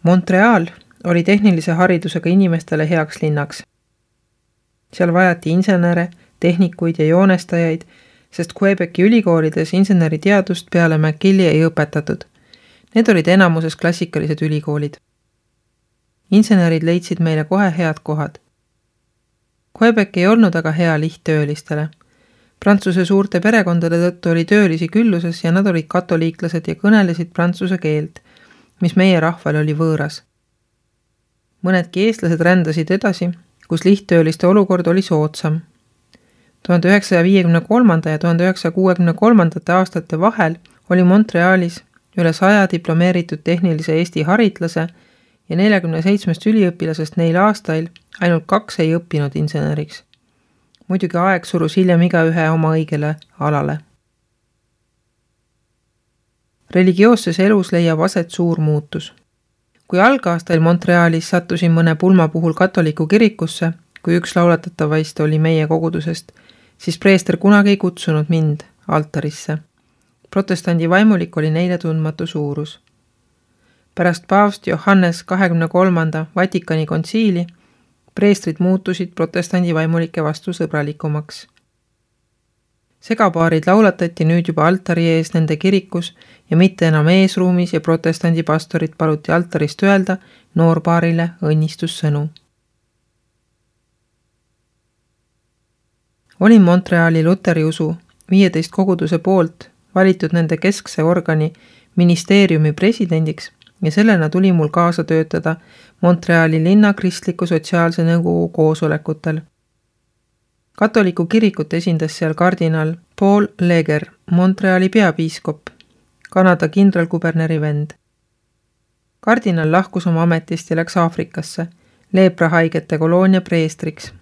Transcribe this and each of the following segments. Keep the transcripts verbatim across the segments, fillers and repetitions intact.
Montreal oli tehnilise haridusega inimestele heaks linnaks. Seal vajati insenere, tehnikuid ja joonestajaid, sest Quebeci ülikoolides inseneriteadust peale McGilli ei õpetatud. Need olid enamuses klassikalised ülikoolid. Insenerid leidsid meile kohe head kohad. Quebec ei olnud aga hea lihttöölistele. Prantsuse suurte perekondade tõttu oli töölisi külluses ja nad olid katoliiklased ja kõnelesid prantsuse keelt, mis meie rahval oli võõras. Mõnedki eestlased rändasid edasi, kus lihttööliste olukord oli soodsam. tuhande üheksasaja viiekümne kolmanda ja tuhande üheksasaja kuuekümne kolmandate aastate vahel oli Montrealis üle saja diplomeeritud tehnilise Eesti haritlase ja neljakümne seitsmest üliõpilasest neil aastail ainult kaks ei õppinud inseneriks. Muidugi aeg surus hiljem igaühe oma õigele alale. Religioosses elus leiab aset suur muutus. Kui algaastail Montrealis sattusin mõne pulma puhul katoliku kirikusse, kui üks laulatatavaist oli meie kogudusest, siis preester kunagi ei kutsunud mind altarisse. Protestandi vaimulik oli neile tundmatu suurus. Pärast paavst Johannes kahekümne kolmanda Vatikani kontsiili preestrid muutusid protestandi vaimulike vastu sõbralikumaks. Segapaarid laulatati nüüd juba altari ees nende kirikus ja mitte enam eesruumis ja protestandi pastorit paluti altarist öelda noorpaarile õnnistussõnu. Olin Montreali Luteriusu viieteist koguduse poolt valitud nende keskse organi ministeeriumi presidendiks ja sellena tuli mul kaasa töötada Montreali linna kristliku sotsiaalse nõukogu koosolekutel. Katoliku kirikut esindas seal kardinal Paul Leger, Montreali peapiiskop, Kanada kindralkuberneri vend. Kardinal lahkus oma ametist ja läks Aafrikasse, leeprahaigete koloonia preestriks.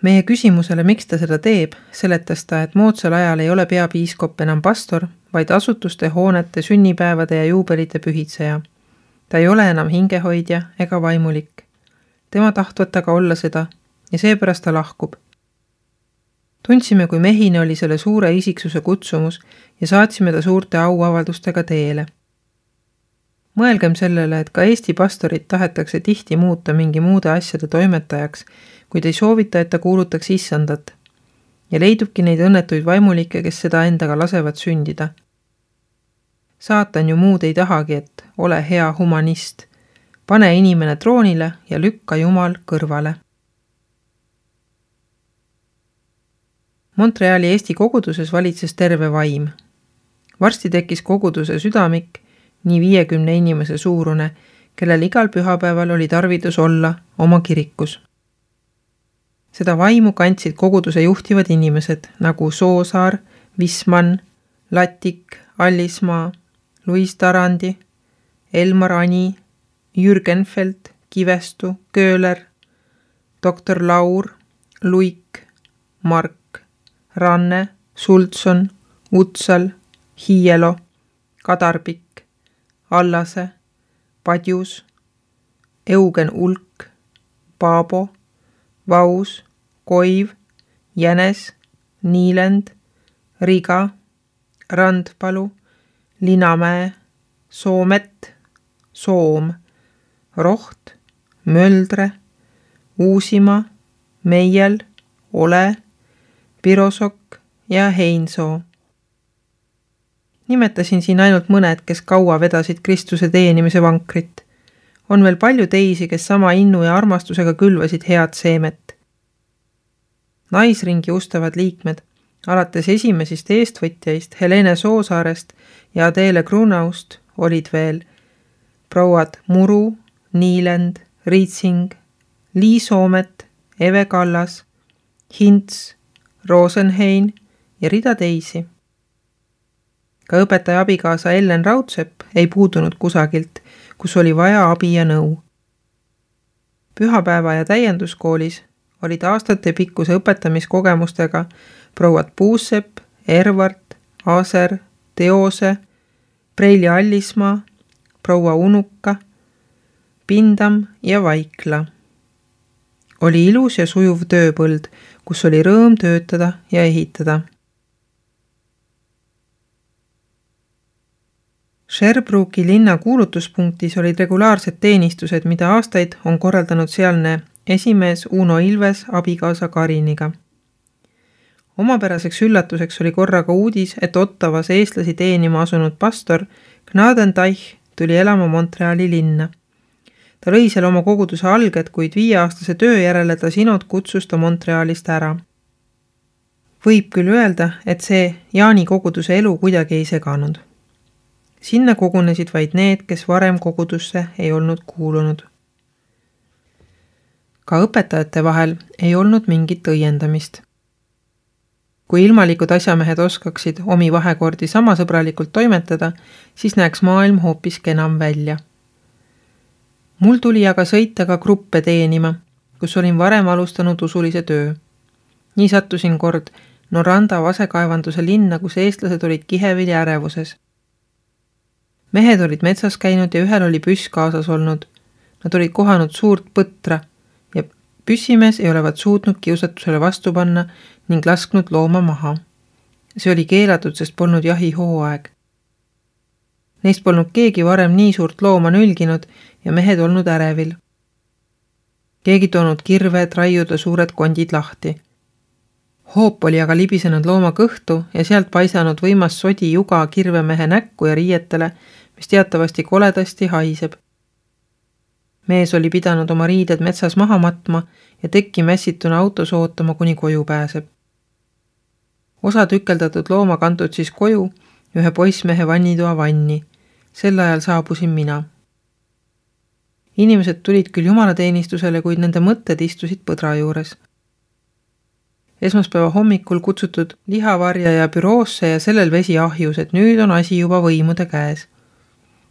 Meie küsimusele, miks ta seda teeb, seletas ta, et moodsal ajal ei ole peapiiskop enam pastor, vaid asutuste, hoonete, sünnipäevade ja juubelite pühitseja. Ta ei ole enam hingehoidja ega vaimulik. Tema tahtvat aga olla seda ja seepärast ta lahkub. Tundsime, kui mehine oli selle suure isiksuse kutsumus ja saatsime ta suurte auavaldustega teele. Mõelgem sellele, et ka Eesti pastorit tahetakse tihti muuta mingi muude asjade toimetajaks, kuid ei soovita, et ta kuulutaks issandat. Ja leidubki neid õnnetuid vaimulikke, kes seda endaga lasevad sündida. Saatan ju muud ei tahagi, et ole hea humanist. Pane inimene troonile ja lükka Jumal kõrvale. Montreali Eesti koguduses valitses terve vaim. Varsti tekkis koguduse südamik, nii viiekümne inimese suurune, kellel igal pühapäeval oli tarvidus olla oma kirikus. Seda vaimu kandsid koguduse juhtivad inimesed nagu Soosaar, Visman, Latik, Allismaa, Luis Tarandi, Elmar Ani, Jürgenfeld, Kivestu, Kööler, doktor Laur, Luik, Mark, Ranne, Sultson, Utsal, Hiielo, Kadarbik, Allase, Padjus, Eugen Ulk, Paabo, Vaus, Koiv, Jänes, Niilend, Riga, Randpalu, Linamäe, Soomet, Soom, Roht, Möldre, Uusimaa, Meiel, Ole, Pirosok ja Heinsoo. Nimetasin siin ainult mõned, kes kaua vedasid Kristuse teenimise vankrit. On veel palju teisi, kes sama innu ja armastusega külvasid head seemet. Naisringi ustavad liikmed, alates esimesist eestvõtjaist Helene Soosaarest ja Adele Grunaust olid veel prouad Muru, Niilend, Riitsing, Lii Soomet, Eve Kallas, Hints, Rosenhein ja rida teisi. Ka õpetaja abikaasa Ellen Raudsepp ei puudunud kusagilt, kus oli vaja abi ja nõu. Pühapäeva ja täienduskoolis olid aastate pikkuse õpetamiskogemustega prouad Puusepp, Ervart, Aser, Teose, Preili Allismaa, proua Unuka, Pindam ja Vaikla. Oli ilus ja sujuv tööpõld, kus oli rõõm töötada ja ehitada. Sherbrooki linna kuulutuspunktis olid regulaarsed teenistused, mida aastaid on korraldanud sealne esimees Uno Ilves abikaasa Kariniga. Omapäraseks üllatuseks oli korraga uudis, et Ottavas eestlasi teenima asunud pastor Gnadenteich tuli elama Montreali linna. Ta lõi seal oma koguduse alged, kuid viieaastase töö järele ta sinod kutsus ta Montrealist ära. Võib küll öelda, et see Jaani koguduse elu kuidagi ei seganud. Sinna kogunesid vaid need, kes varem kogudusse ei olnud kuulunud. Ka õpetajate vahel ei olnud mingit õiendamist. Kui ilmalikud asjamehed oskaksid omi vahekordi sama sõbralikult toimetada, siis näeks maailm hoopis kenam välja. Mul tuli aga sõita ka gruppe teenima, kus olin varem alustanud usulise töö. Nii sattusin kord Noranda vasekaevanduse linna, kus eestlased olid kihevili ärevuses. Mehed olid metsas käinud ja ühel oli püss kaasas olnud. Nad olid kohanud suurt põtra ja püssimees ei olevat suutnud kiusatusele vastu panna ning lasknud looma maha. See oli keelatud, sest polnud jahi hooaeg. Neist polnud keegi varem nii suurt looma nülginud ja mehed olnud ärevil. Keegi toonud kirve, et raiuda suured kondid lahti. Hoop oli aga libisenud looma kõhtu ja sealt paisanud võimas sodi juga kirvemehe näkku ja riietele, mis teatavasti koledasti haiseb. Mees oli pidanud oma riided metsas maha matma ja tekki mässituna autos ootama, kuni koju pääseb. Osa tükeldatud looma kantud siis koju ühe poissmehe vannitoa vanni. Sel ajal saabusin mina. Inimesed tulid küll jumalateenistusele, kuid nende mõtted istusid põdra juures. Esmaspäeva hommikul kutsutud lihavarjaja büroosse ja sellel vesi ahjus, et nüüd on asi juba võimude käes.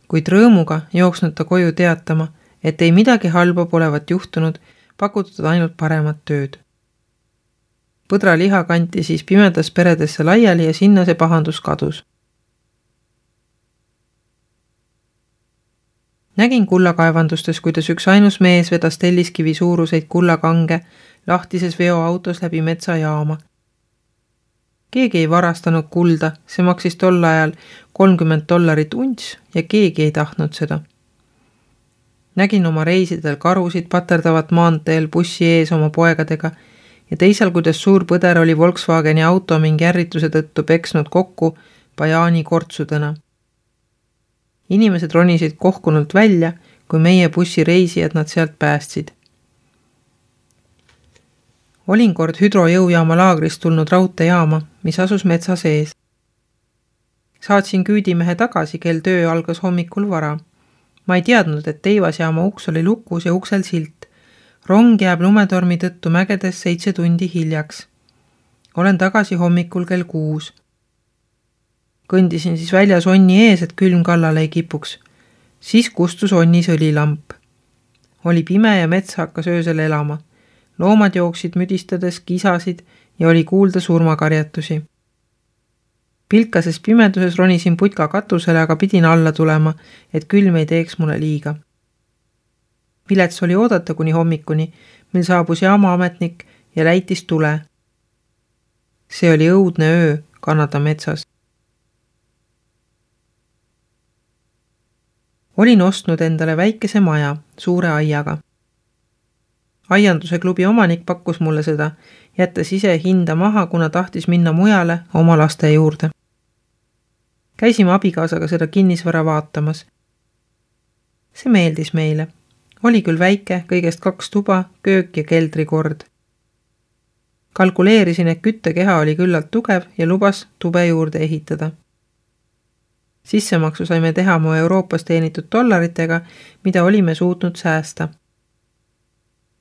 Kuid rõõmuga jooksnud ta koju teatama, et ei midagi halba polevat juhtunud, pakutud ainult paremat tööd. Põdra liha kanti siis pimedas peredesse laiali ja sinna see pahandus kadus. Nägin kullakaevandustes, kuidas üks ainus mees vedas telliskivi suuruseid kullakange lahtises veoautos läbi metsajaama. Keegi ei varastanud kulda, see maksis tol ajal kolmkümmend dollarit unts ja keegi ei tahtnud seda. Nägin oma reisidel karusid paterdavat maanteel bussi ees oma poegadega ja teisal, kuidas suur põder oli Volkswageni auto mingi ärrituse tõttu peksnud kokku Bajaani kortsudena. Inimesed ronisid kohkunult välja, kui meie bussi reisijad nad sealt päästsid. Olin kord hüdrojõujaama laagrist tulnud raudteejaama, mis asus metsa sees. Saatsin küüdimehe tagasi, kel töö algas hommikul vara. Ma ei teadnud, et teivasjaama uks oli lukus ja uksel silt. Rong jääb lumetormi tõttu mägedes seitse tundi hiljaks. Olen tagasi hommikul kell kuus. Kõndisin siis väljas onni ees, et külm kallale ei kipuks. Siis kustus onnis õlilamp. Oli pime ja mets hakkas öösel elama. Loomad jooksid müdistades, kisasid ja oli kuulda surmakarjatusi. Pilkases pimeduses ronisin putka katusele, aga pidin alla tulema, et külm ei teeks mulle liiga. Vilets oli oodata kuni hommikuni, mil saabus jaamaametnik ja läitis tule. See oli õudne öö Kanada metsas. Olin ostnud endale väikese maja suure aiaga. Aianduse klubi omanik pakkus mulle seda, jättes ise hinda maha, kuna tahtis minna mujale oma laste juurde. Käisime abikaasaga seda kinnisvara vaatamas. See meeldis meile. Oli küll väike, kõigest kaks tuba, köök ja keldrikord. Kalkuleerisin, et küttekeha oli küllalt tugev ja lubas tube juurde ehitada. Sissemaksu saime teha mu Euroopas teenitud dollaritega, mida olime suutnud säästa.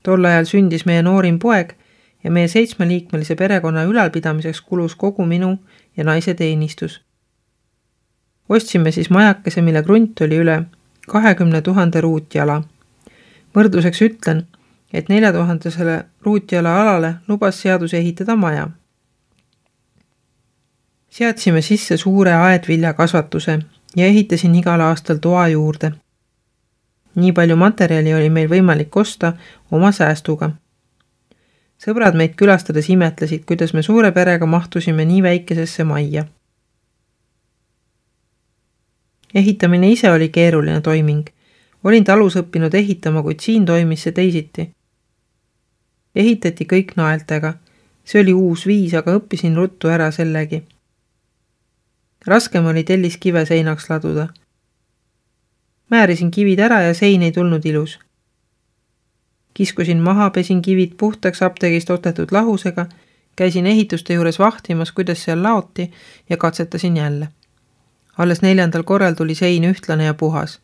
Tol ajal sündis meie noorim poeg ja meie seitsmeliikmelise perekonna ülalpidamiseks kulus kogu minu ja naise teenistus. Ostsime siis majakese, mille grunt oli üle kahekümne tuhande ruutjala. Võrdluseks ütlen, et nelja tuhandesele ruutjala alale lubas seadus ehitada maja. Seadsime sisse suure aedvilja kasvatuse ja ehitasin igal aastal toa juurde. Nii palju materjali oli meil võimalik osta oma säästuga. Sõbrad meid külastades imetlesid, kuidas me suure perega mahtusime nii väikesesse majja. Ehitamine ise oli keeruline toiming. Olin talus õppinud ehitama, kuid siin toimis see teisiti. Ehitati kõik naeltega. See oli uus viis, aga õppisin ruttu ära sellegi. Raskem oli telliskive seinaks laduda. Määrisin kivid ära ja sein ei tulnud ilus. Kiskusin maha, pesin kivid puhtaks apteegist ostetud lahusega, käisin ehituste juures vahtimas, kuidas seal laoti ja katsetasin jälle. Alles neljandal korral tuli sein ühtlane ja puhas.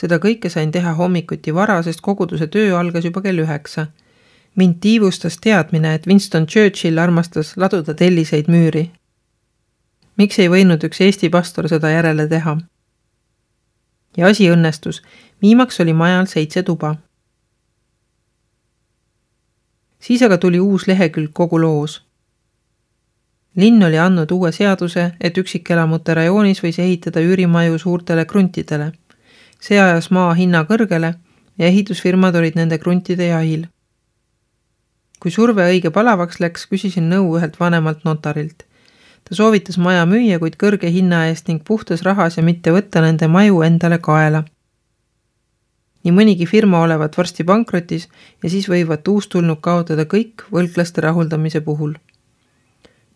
Seda kõike sain teha hommikuti vara, sest koguduse töö algas juba kell üheksa. Mind tiivustas teadmine, et Winston Churchill armastas laduda telliseid müüri. Miks ei võinud üks Eesti pastor seda järele teha? Ja asi õnnestus. Viimaks oli majal seitse tuba. Siis aga tuli uus lehekülg kogu loos. Linn oli andnud uue seaduse, et üksikelamute rajoonis võis ehitada üürimaju suurtele kruntidele. See ajas maa hinna kõrgele ja ehitusfirmad olid nende kruntide jahil. Kui surve õige palavaks läks, küsisin nõu ühelt vanemalt notarilt. Ta soovitas maja müüa, kuid kõrge hinna eest ning puhtas rahas ja mitte võtta nende maju endale kaela. Nii mõnigi firma olevat varsti pankrotis ja siis võivat uustulnud kaotada kõik võlglaste rahuldamise puhul.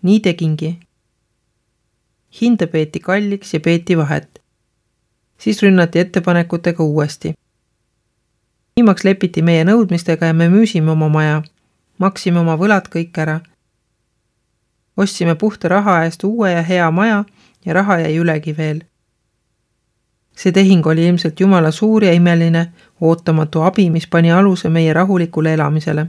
Nii tegingi. Hinda peeti kalliks ja peeti vahet. Siis rünnati ettepanekutega uuesti. Viimaks lepiti meie nõudmistega ja me müüsime oma maja. Maksime oma võlad kõik ära. Ostsime puhta raha eest uue ja hea maja ja raha jäi ülegi veel. See tehing oli ilmselt Jumala suur ja imeline, ootamatu abi, mis pani aluse meie rahulikule elamisele.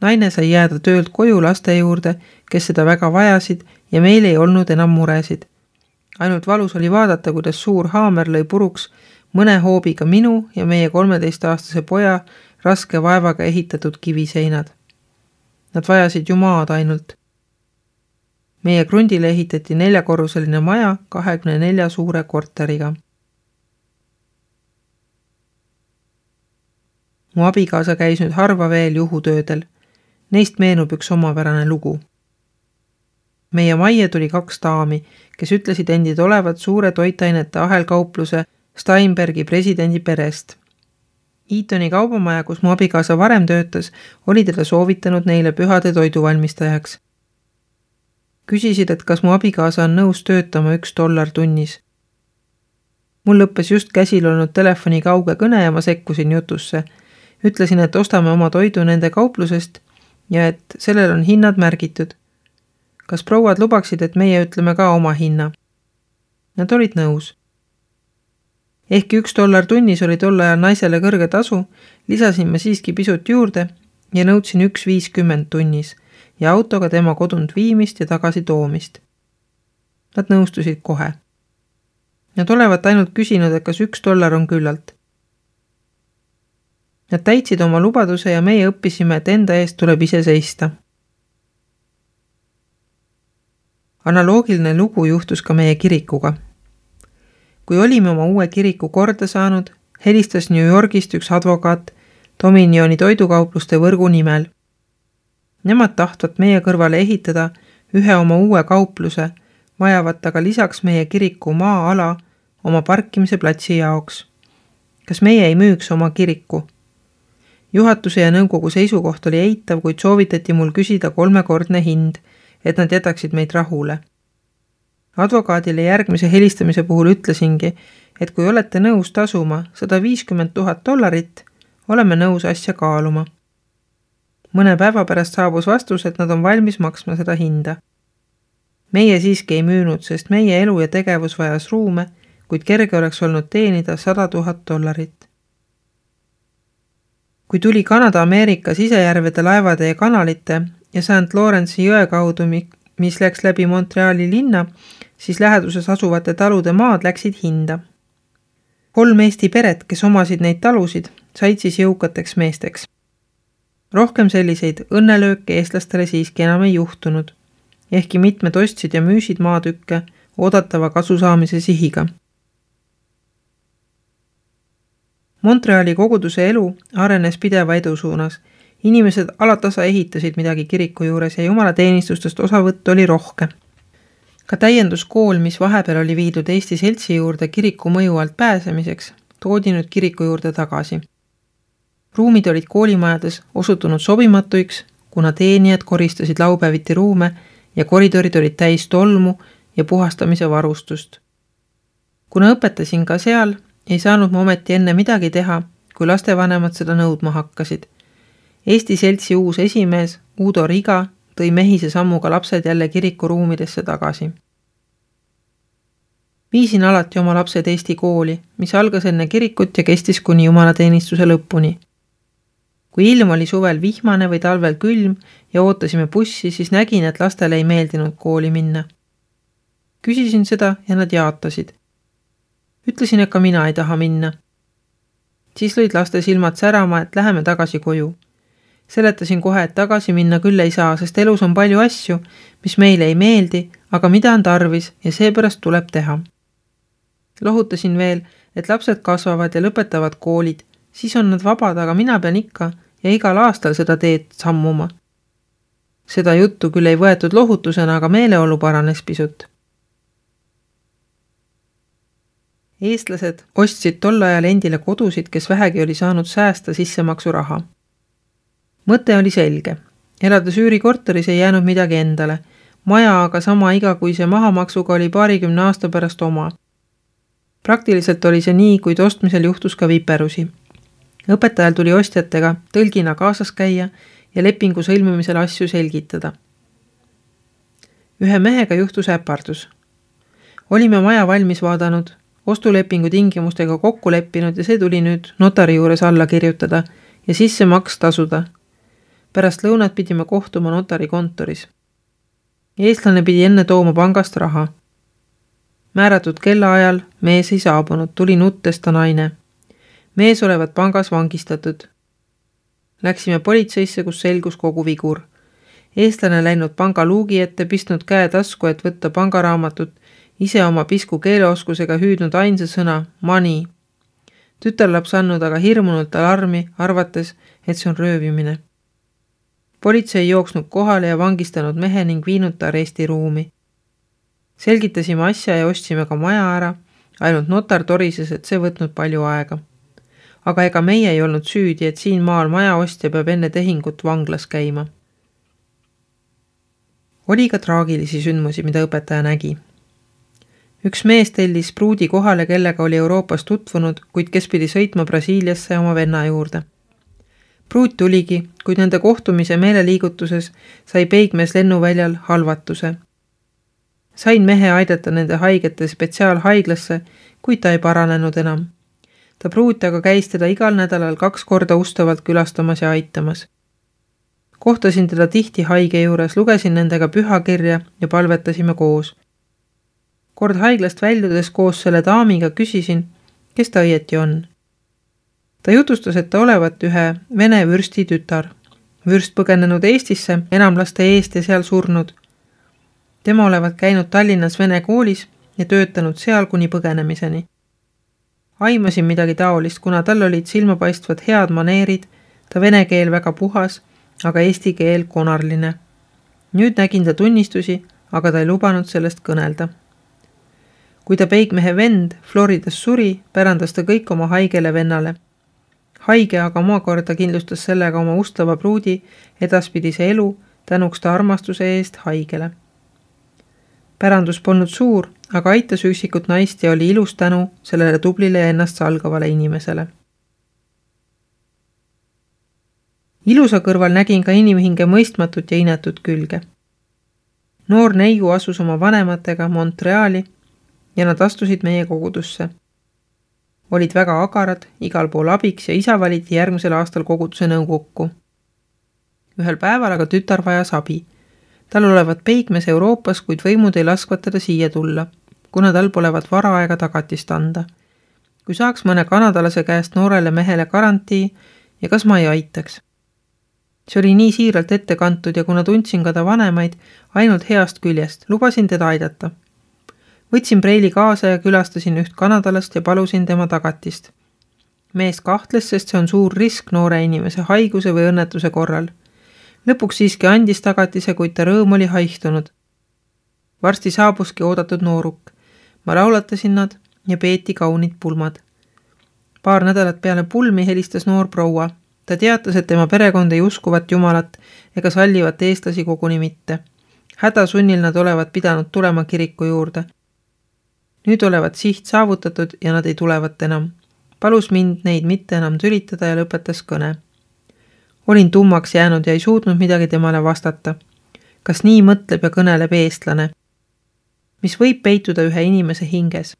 Naine sai jääda töölt koju laste juurde, kes seda väga vajasid ja meil ei olnud enam muresid. Ainult valus oli vaadata, kuidas suur haamer lõi puruks mõne hoobiga minu ja meie kolmeteistaastase poja raske vaevaga ehitatud kiviseinad. Nad vajasid ju maad ainult. Meie krundile ehitati neljakorruseline maja kahekümne nelja suure korteriga. Mu abikaasa käis nüüd harva veel juhutöödel. Neist meenub üks omapärane lugu. Meie majja tuli kaks daami, kes ütlesid endid olevat suure toitainete ahelkaupluse Steinbergi presidendi perest. Eatoni kaubamaja, kus mu abikaasa varem töötas, oli teda soovitanud neile pühade toiduvalmistajaks. Küsisid, et kas mu abikaasa on nõus töötama üks dollar tunnis. Mul lõppes just käsil olnud telefoni kauge kõne ja ma sekkusin jutusse. Ütlesin, et ostame oma toidu nende kauplusest ja et sellel on hinnad märgitud. Kas prouad lubaksid, et meie ütleme ka oma hinna? Nad olid nõus. Ehkki üks dollar tunnis oli tol ajal naisele kõrge tasu, lisasin ma siiski pisut juurde ja nõudsin üks viiskümmend tunnis ja autoga tema kodunt viimist ja tagasi toomist. Nad nõustusid kohe. Nad olevat ainult küsinud, et kas üks dollar on küllalt. Nad täitsid oma lubaduse ja meie õppisime, et enda eest tuleb ise seista. Analoogiline lugu juhtus ka meie kirikuga. Kui olime oma uue kiriku korda saanud, helistas New Yorgist üks advokaat Dominioni toidukaupluste võrgu nimel. Nemad tahtvat meie kõrvale ehitada ühe oma uue kaupluse, vajavat aga lisaks meie kiriku maa-ala oma parkimise platsi jaoks. Kas meie ei müüks oma kiriku? Juhatuse ja nõukogu seisukoht oli eitav, kuid soovitati mul küsida kolmekordne hind, et nad jätaksid meid rahule. Advokaadile järgmise helistamise puhul ütlesingi, et kui olete nõus tasuma sada viiskümmend tuhat dollarit, oleme nõus asja kaaluma. Mõne päeva pärast saabus vastus, et nad on valmis maksma seda hinda. Meie siiski ei müünud, sest meie elu ja tegevus vajas ruume, kuid kerge oleks olnud teenida sada tuhat dollarit. Kui tuli Kanada-Ameerika sisejärvede laevade ja kanalite ja Saint Lawrence'i jõe kaudu, mis läks läbi Montreali linna, siis läheduses asuvate talude maad läksid hinda. Kolm Eesti peret, kes omasid neid talusid, said siis jõukateks meesteks. Rohkem selliseid õnnelööke eestlastele siiski enam ei juhtunud, ehkki mitmed ostsid ja müüsid maatükke oodatava kasu saamise sihiga. Montreali koguduse elu arenes pideva edu suunas. Inimesed alatasa ehitasid midagi kiriku juures ja jumalateenistustest osavõtt oli rohke. Ka täienduskool, mis vahepeal oli viidud Eesti seltsi juurde kiriku mõju alt pääsemiseks, toodi nüüd kiriku juurde tagasi. Ruumid olid koolimajades osutunud sobimatuiks, kuna teenijad koristasid laupäeviti ruume ja koridorid olid täis tolmu ja puhastamise varustust. Kuna õpetasin ka seal, ei saanud ma ometi enne midagi teha, kui lastevanemad seda nõudma hakkasid. Eesti seltsi uus esimees, Udo Riga, tõi mehise sammuga lapsed jälle kiriku ruumidesse tagasi. Viisin alati oma lapsed Eesti kooli, mis algas enne kirikut ja kestis kuni jumalateenistuse lõpuni. Kui ilm oli suvel vihmane või talvel külm ja ootasime bussi, siis nägin, et lastele ei meeldinud kooli minna. Küsisin seda ja nad jaatasid. Ütlesin, et ka mina ei taha minna. Siis lõid laste silmad särama, et läheme tagasi koju. Seletasin kohe, et tagasi minna küll ei saa, sest elus on palju asju, mis meile ei meeldi, aga mida on tarvis ja seepärast tuleb teha. Lohutasin veel, et lapsed kasvavad ja lõpetavad koolid, siis on nad vabad, aga mina pean ikka ja igal aastal seda teed sammuma. Seda juttu küll ei võetud lohutusena, aga meeleolu paranes pisut. Eestlased ostsid tol ajal endile kodusid, kes vähegi oli saanud säästa sissemaksu raha. Mõte oli selge. Elades üürikorteris ei jäänud midagi endale. Maja aga sama igakuise mahamaksuga oli paarikümne aasta pärast oma. Praktiliselt oli see nii, kuid ostmisel juhtus ka viperusi. Õpetajal tuli ostjatega tõlgina kaasas käia ja lepingu sõlmimisel asju selgitada. Ühe mehega juhtus äpardus. Olime maja valmis vaadanud, ostulepingu tingimustega kokku leppinud ja see tuli nüüd notari juures alla kirjutada ja sisse maks tasuda. Pärast lõunat pidime kohtuma notari kontoris. Eestlane pidi enne tooma pangast raha. Määratud kellaajal mees ei saabunud, tuli nuttesta naine. Mees olevat pangas vangistatud. Läksime politseisse, kus selgus kogu vigur. Eestlane läinud panga luugi ette, pistnud käe tasku, et võtta pangaraamatut, ise oma pisku keeleoskusega hüüdnud ainsa sõna money. Tütarlaps andnud aga hirmunult alarmi, arvates, et see on röövimine. Politsei jooksnud kohale ja vangistanud mehe ning viinud ta arestiruumi. Selgitasime asja ja ostsime ka maja ära, ainult notar torises, et see võtnud palju aega. Aga ega meie ei olnud süüdi, et siin maal maja ostja peab enne tehingut vanglas käima. Oli ka traagilisi sündmusi, mida õpetaja nägi. Üks mees tellis pruudi kohale, kellega oli Euroopas tutvunud, kuid kes pidi sõitma Brasiiliasse oma venna juurde. Pruut tuligi, kuid nende kohtumise meeleliigutuses sai peigmees lennuväljal halvatuse. Sain mehe aidata nende haigete spetsiaalhaiglasse, kuid ta ei paranenud enam. Ta pruut aga käis teda igal nädalal kaks korda ustavalt külastamas ja aitamas. Kohtasin teda tihti haige juures, lugesin nendega pühakirja ja palvetasime koos. Kord haiglast väljudes koos selle daamiga küsisin, kes ta õieti on. Ta jutustas, et ta olevat ühe vene vürsti tütar. Vürst põgenenud Eestisse, enam laste eest ja seal surnud. Tema olevat käinud Tallinnas vene koolis ja töötanud seal kuni põgenemiseni. Aimasin midagi taolist, kuna tal olid silmapaistvad head maneerid, ta vene keel väga puhas, aga eesti keel konarline. Nüüd nägin ta tunnistusi, aga ta ei lubanud sellest kõnelda. Kui ta peigmehe vend Floridas suri, pärandas ta kõik oma haigele vennale. Haige aga omakorda kindlustas sellega oma ustava pruudi edaspidise elu tänuks ta armastuse eest haigele. Pärandus polnud suur, aga aitas üksikut naist ja oli ilus tänu sellele tublile ja ennast salgavale inimesele. Ilusa kõrval nägin ka inimhinge mõistmatut ja inetut külge. Noor neiu asus oma vanematega Montreali ja nad astusid meie kogudusse. Olid väga agarad, igal pool abiks ja isa valiti järgmisel aastal koguduse nõukokku. Ühel päeval aga tütar vajas abi. Tal olevat peigmes Euroopas, kuid võimud ei laskvat teda siia tulla, kuna tal polevat varaaega tagatist anda. Kui saaks mõne kanadalase käest noorele mehele garantii ja kas ma ei aitaks. See oli nii siiralt ette kantud ja kuna tundsin ka ta vanemaid ainult heast küljest, lubasin teda aidata. Võtsin preili kaasa ja külastasin üht kanadalast ja palusin tema tagatist. Mees kahtles, sest see on suur risk noore inimese haiguse või õnnetuse korral. Lõpuks siiski andis tagatise, kuid ta rõõm oli haihtunud. Varsti saabuski oodatud nooruk. Ma laulatasin nad ja peeti kaunid pulmad. Paar nädalat peale pulmi helistas noor proua. Ta teatas, et tema perekond ei uskuvat jumalat ega sallivat eestlasi koguni mitte. Hädasunnil nad olevat pidanud tulema kiriku juurde. Nüüd olevat siht saavutatud ja nad ei tulevat enam. Palus mind neid mitte enam tülitada ja lõpetas kõne. Olin tummaks jäänud ja ei suutnud midagi temale vastata. Kas nii mõtleb ja kõneleb eestlane? Mis võib peituda ühe inimese hinges?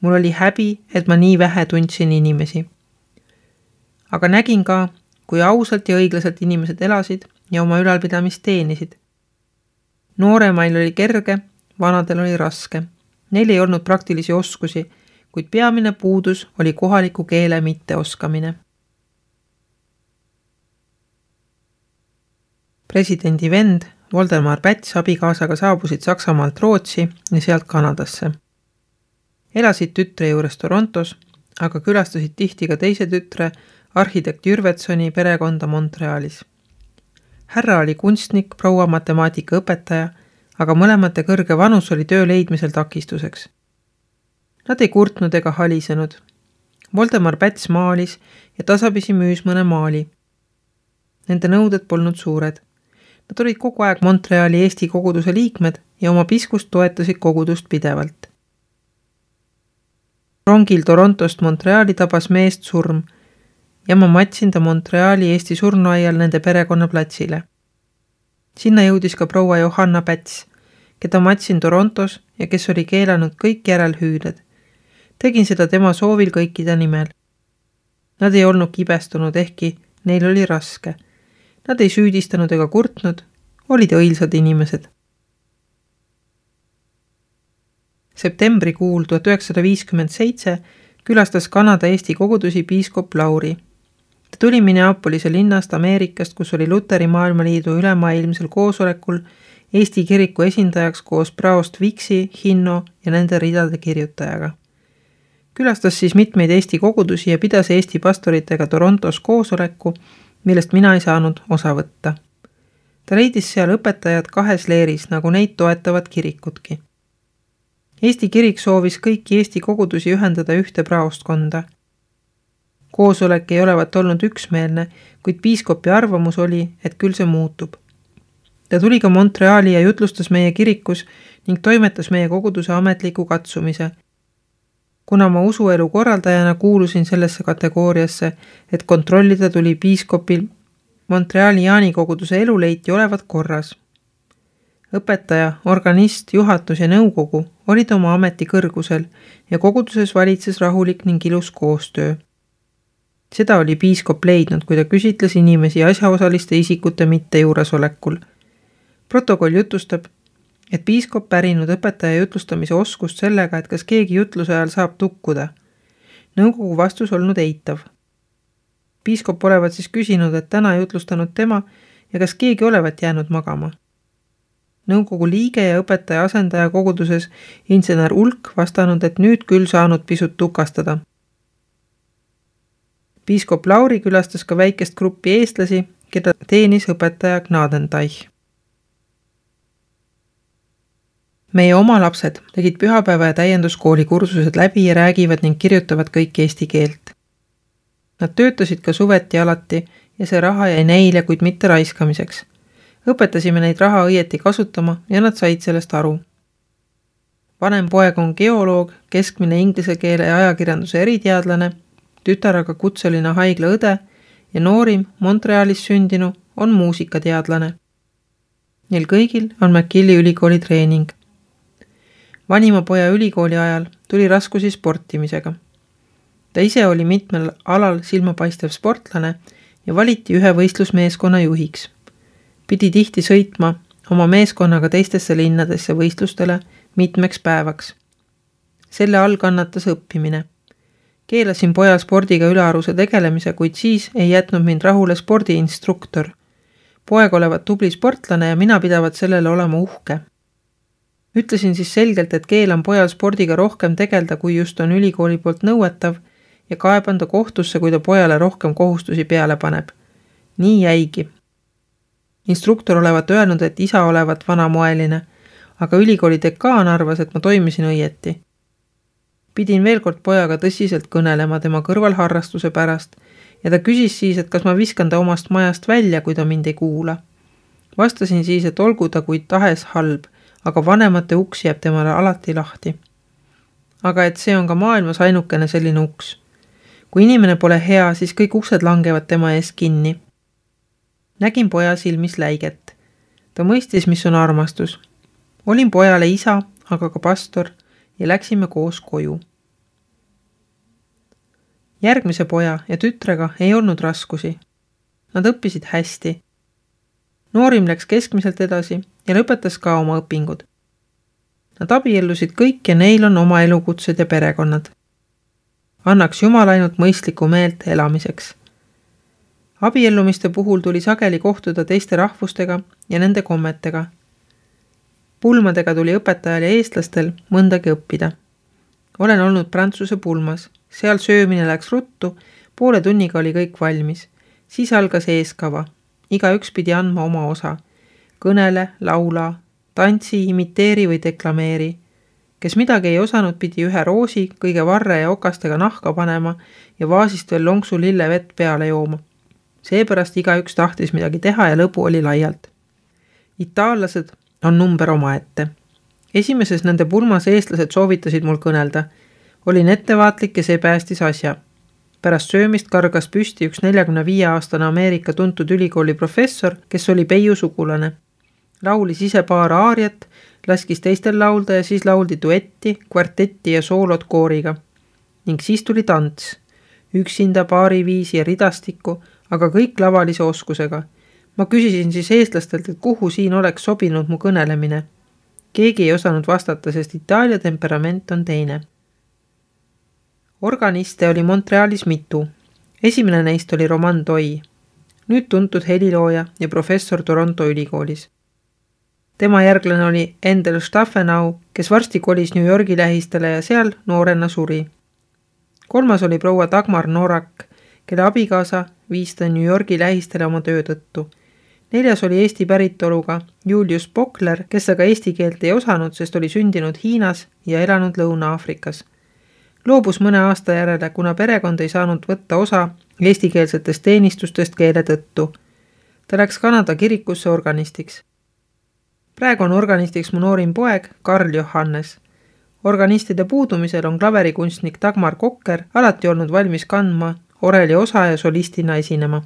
Mul oli häbi, et ma nii vähe tundsin inimesi. Aga nägin ka, kui ausalt ja õiglaselt inimesed elasid ja oma ülalpidamist teenisid. Nooremail oli kerge, vanadel oli raske. Neil ei olnud praktilisi oskusi, kuid peamine puudus oli kohaliku keele mitteoskamine. Presidendi vend Voldemar Päts abikaasaga saabusid Saksamaalt Rootsi ja sealt Kanadasse. Elasid tütre juures Torontos, aga külastasid tihti ka teise tütre arhitekt Jürvetsoni perekonda Montrealis. Härra oli kunstnik, proua matemaatika õpetaja, aga mõlemate kõrge vanus oli töö leidmisel takistuseks. Nad ei kurtnud ega halisenud. Voldemar Päts maalis ja tasapisi müüs mõne maali. Nende nõuded polnud suured. Nad olid kogu aeg Montreali Eesti koguduse liikmed ja oma piskust toetasid kogudust pidevalt. Rongil Torontost Montreali tabas meest surm ja ma matsin ta Montreali Eesti surnuaial nende perekonna platsile. Sinna jõudis ka proua Johanna Päts, keda matsin Torontos ja kes oli keelanud kõik järelhüüded. Tegin seda tema soovil kõikide nimel. Nad ei olnud kibestunud, ehkki neil oli raske. Nad ei süüdistanud ega kurtnud, olid õilsad inimesed. Septembrikuul tuhat üheksasada viiskümmend seitse külastas Kanada Eesti kogudusi piiskop Lauri. Ta tuli Minneapolise linnast Ameerikast, kus oli Luteri Maailmaliidu ülemaailmsel koosolekul Eesti kiriku esindajaks koos praost Viksi, Hinno ja nende ridade kirjutajaga. Külastas siis mitmeid Eesti kogudusi ja pidas Eesti pastoritega Torontos koosoleku, millest mina ei saanud osa võtta. Ta leidis seal õpetajad kahes leeris, nagu neid toetavad kirikutki. Eesti kirik soovis kõiki Eesti kogudusi ühendada ühte praostkonda. Koosolek ei olevat olnud üksmeelne, kuid piiskopi arvamus oli, et küll see muutub. Ta tuli ka Montreali ja jutlustas meie kirikus ning toimetas meie koguduse ametliku katsumise. Kuna ma usuelu korraldajana kuulusin sellesse kategooriasse, et kontrollida tuli piiskopil Montreali Jaani koguduse eluleiti olevat korras. Õpetaja, organist, juhatus ja nõukogu olid oma ameti kõrgusel ja koguduses valitses rahulik ning ilus koostöö. Seda oli piiskop leidnud, kui ta küsitles inimesi asjaosaliste isikute mitte juuresolekul. Protokoll jutustab, et piiskop pärinud õpetaja jutlustamise oskust sellega, et kas keegi jutluse ajal saab tukkuda. Nõukogu vastus olnud eitav. Piiskop olevat siis küsinud, et täna jutlustanud tema ja kas keegi olevat jäänud magama. Nõukogu liige ja õpetaja asendaja koguduses insener Ulk vastanud, et nüüd küll saanud pisut tukastada. Piiskop Lauri külastas ka väikest gruppi eestlasi, keda teenis õpetaja Gnadenteich. Meie oma lapsed tegid pühapäeva ja täienduskooli kursused läbi ja räägivad ning kirjutavad kõik eesti keelt. Nad töötasid ka suveti alati ja see raha jäi neile, kuid mitte raiskamiseks. Õpetasime neid raha õieti kasutama ja nad said sellest aru. Vanem poeg on geoloog, keskmine inglise keele ja ajakirjanduse eriteadlane, tütar aga kutseline haiglaõde ja noorim Montrealis sündinu on muusikateadlane. Neil kõigil on McGilli ülikooli treening. Vanima poja ülikooli ajal tuli raskusi sportimisega. Ta ise oli mitmel alal silmapaistev sportlane ja valiti ühe võistlusmeeskonna juhiks. Pidi tihti sõitma oma meeskonnaga teistesse linnadesse võistlustele mitmeks päevaks. Selle all kannatas õppimine. Keelasin pojal spordiga ülearuse tegelemise, kuid siis ei jätnud mind rahule spordiinstruktor. Poeg olevat tubli sportlane ja mina pidavat sellele olema uhke. Ütlesin siis selgelt, et keelan pojal spordiga rohkem tegelda, kui just on ülikooli poolt nõuetav ja kaeban ta kohtusse, kui ta pojale rohkem kohustusi peale paneb. Nii jäigi. Instruktor olevat öelnud, et isa olevat vanamoeline, aga ülikooli dekaan arvas, et ma toimisin õieti. Pidin veel kord pojaga tõsiselt kõnelema tema kõrvalharrastuse pärast ja ta küsis siis, et kas ma viskan ta omast majast välja, kui ta mind ei kuula. Vastasin siis, et olgu ta kui tahes halb, aga vanemate uks jääb temale alati lahti. Aga et see on ka maailmas ainukene selline uks. Kui inimene pole hea, siis kõik uksed langevad tema ees kinni. Nägin poja silmis läiget. Ta mõistis, mis on armastus. Olin pojale isa, aga ka pastor ja läksime koos koju. Järgmise poja ja tütrega ei olnud raskusi. Nad õppisid hästi. Noorim läks keskmiselt edasi ja lõpetas ka oma õpingud. Nad abiellusid kõik ja neil on oma elukutsed ja perekonnad. Annaks Jumal ainult mõistlikku meelt elamiseks. Abiellumiste puhul tuli sageli kohtuda teiste rahvustega ja nende kommetega. Pulmadega tuli õpetajal ja eestlastel mõndagi õppida. Olen olnud Prantsuse pulmas. Seal söömine läks ruttu, poole tunniga oli kõik valmis. Siis algas eeskava. Iga üks pidi andma oma osa. Kõnele, laula, tantsi, imiteeri või deklameeri. Kes midagi ei osanud, pidi ühe roosi, kõige varre ja okastega nahka panema ja vaasist veel lonksu lille vett peale jooma. Seepärast iga üks tahtis midagi teha ja lõbu oli laialt. Itaallased on number omaette. Esimeses nende pulmas eestlased soovitasid mul kõnelda. Olin ettevaatlik ja see päästis asja. Pärast söömist kargas püsti üks neljakümne viie aastane Ameerika tuntud ülikooli professor, kes oli Peiu sugulane. Laulis ise paar aariat, laskis teistel laulda ja siis lauldi duetti, kvartetti ja soolot kooriga. Ning siis tuli tants. Üksinda paariviisi ja ridastikku, aga kõik lavalise oskusega. Ma küsisin siis eestlastelt, et kuhu siin oleks sobinud mu kõnelemine. Keegi ei osanud vastata, sest Itaalia temperament on teine. Organiste oli Montrealis mitu. Esimene neist oli Roman Toi, nüüd tuntud helilooja ja professor Toronto ülikoolis. Tema järglane oli Endel Staffenau, kes varsti kolis New Yorgi lähistele ja seal noorena suri. Kolmas oli proua Dagmar Norak, kelle abikaasa viis ta New Yorgi lähistele oma töö tõttu. Neljas oli Eesti päritoluga Julius Pokler, kes aga eesti keelt ei osanud, sest oli sündinud Hiinas ja elanud Lõuna-Aafrikas. Loobus mõne aasta järele, kuna perekond ei saanud võtta osa eestikeelsetest teenistustest keele tõttu. Ta läks Kanada kirikusse organistiks. Praegu on organistiks mu noorim poeg Karl Johannes. Organistide puudumisel on klaverikunstnik Dagmar Kokker alati olnud valmis kandma oreli osa ja solistina esinema.